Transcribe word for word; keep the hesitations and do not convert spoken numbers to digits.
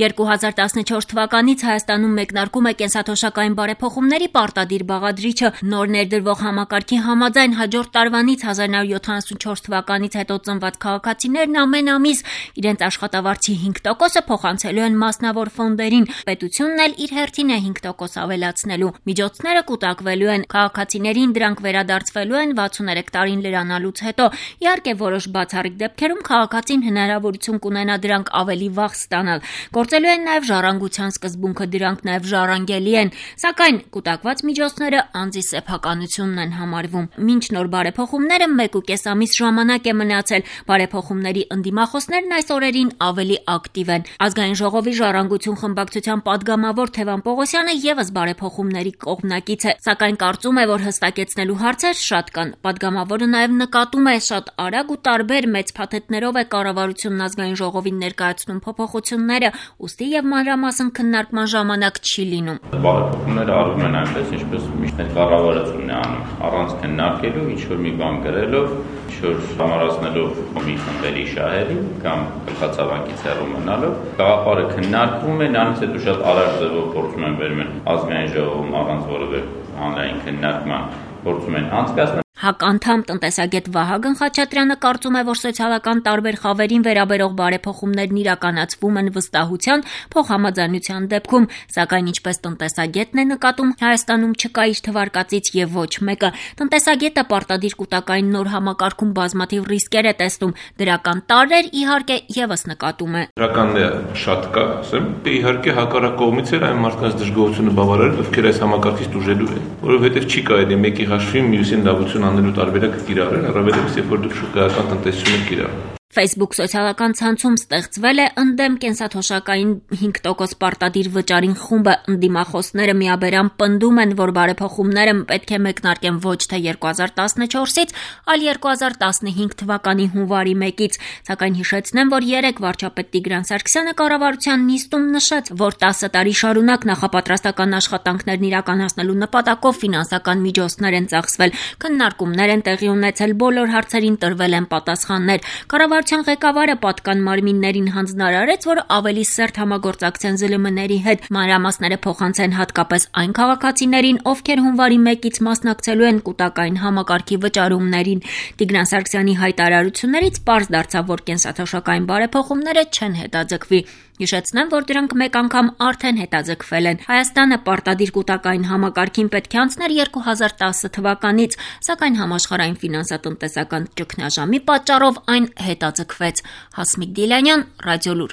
երկու հազար տասնչորս թվականից Հայաստանում մեկնարկում է կենսաթոշակային բարեփոխումների պարտադիր բաղադրիչը նոր ներդրվող համակարգի համաձայն հաջորդ տարվանից հազար նորը յոթանասունչորս թվականից հետո ծնված քաղաքացիներն ամեն ամիս իրենց աշխատավարձի հինգ տոկոսը փոխանցելու են մասնավոր ֆոնդերին, պետությունն էլ իր հերթին է հինգ տոկոս ավելացնելու։ Միջոցները կուտակվելու են քաղաքացիներին, դրանք վերադարձվելու են վաթսուներեք տարին լրանալուց հետո։ Իհարկե որոշ բացառիկ դեպքերում քաղաքացին հնարավորություն կունենա դրանք ավելի վաղ ստանալ։ Գործելու են նաև ժառանգության սկզբունքը, դրանք նաև ժառանգելի են, սակայն կուտակված միջոցները անձի սեփականությունն են համարվում։ Մինչ նոր բարեփոխումները մեկ ու կես ամիս ժամանակ է մնացել, բարեփոխումների ընդդիմախոսներն այս օրերին ավելի ակտիվ են։ Ազգային ժողովի ժառանգություն խմբակցության падգամավոր Թևան Պողոսյանը եւս բարեփոխումների կողմնակից է, սակայն կարծում է, որ հստակեցնելու հարցեր շատ կան։ Падգամավորը նաև նկատում է, շատ արագ ու տարբեր մեծ փաթեթներով է կառավարությունն ազգային ժողովին ներկայացնում փոփոխությունները, ուստի եւ մանրամասն քննարկման ժամանակ չի լինում։ Բարեփոխումները արվում են այնպես, ինչպես միշտ կառավարությունն է անում, առանց քննարկելու, ինչ որ մի բան գրելով, ինչ որ համարացնելով մի խմբերի շահերի կամ գլխացավանքից հեռու մնալով, գաղափարը քննարկվում է, նրանից հետո շատ արագ ձևով փորձում են վերմեն ազգային ժողովում առանց որևէ հանրային քննարկման փորձում են անցկացնել։ ՀԱԿ անդամ տնտեսագետ Վահագն Խաչատրյանը կարծում է, որ սոցիալական տարբեր խավերին վերաբերող բարեփոխումներն իրականացվում են վստահության, փոխհամաձայնության դեպքում, սակայն ինչպես տնտեսագետն է նկատում, Հայաստանում չկա իր թվարկածից եւ ոչ մեկը։ Տնտեսագետը պարտադիր կուտակային նոր համակարգում բազմաթիվ ռիսկեր է տեսնում, դրական տարրեր իհարկե եւս նկատում է։ Դրականները շատ կա, ասեմ, իհարկե հակառակ կողմից էր այն մարդկանց դժգոհությունը բավարարել, ովքեր այս համակարգից դժելու են, որովհետեւ չի կարելի մեկի հաշվին մյուսին լավություն անելու տարբերակը կիրառել, առավելևս երբ որ դուք շուկայական տնտեսություն եք կիրառում։ Facebook սոցիալական ցանցում ստեղծվել է ընդդեմ կենսաթոշակային հինգ տոկոս պարտադիր վճարին խումբը։ Ընդդիմախոսները միաբերան պնդում են, որ բարեփոխումները պետք է մեկնարկեն ոչ թե երկու հազար տասնչորսից, այլ երկու հազար տասնհինգ թվականի հունվարի մեկից, սակայն հիշեցնեմ, որ երեկ վարչապետ Տիգրան Սարգսյանը կառավարության նիստում նշեց, որ տասը տարի շարունակ նախապատրաստական աշխատանքներն իրականացնելու նպատակով ֆինանսական միջոցներ են ծախսվել, քննարկումներ են տեղի ունեցել, բոլոր հարցերին տրվել են պատասխաններ։ Կառավարության ղեկավարը պատկան մարմիններին հանձնարարեց, որ ավելի սերտ համագործակցեն զլ մ-ների հետ, մանրամասները փոխանցեն հատկապես այն քաղաքացիներին, ովքեր հունվարի մեկից մասնակցելու են կուտակային համակարգի վճարումներին։ Տիգրան Սարգսյանի հայտարարություններից պարզ դարձավ, որ կենսաթոշակային բարեփոխումները չեն հետաձգվի։ Հիշեցնեմ, որ դրանք մեկ անգամ արդեն հետաձգվել են։ Հայաստանը պարտադիր կուտակային համակարգին պետք է անցներ երկու հազար տասը թվականից, սակայն համաշխարհային ֆինանսատնտեսական ճգնաժամի պատճառով այն հետաձգվեց։ Հասմիկ Դիլանյան, Ռադիոլուր։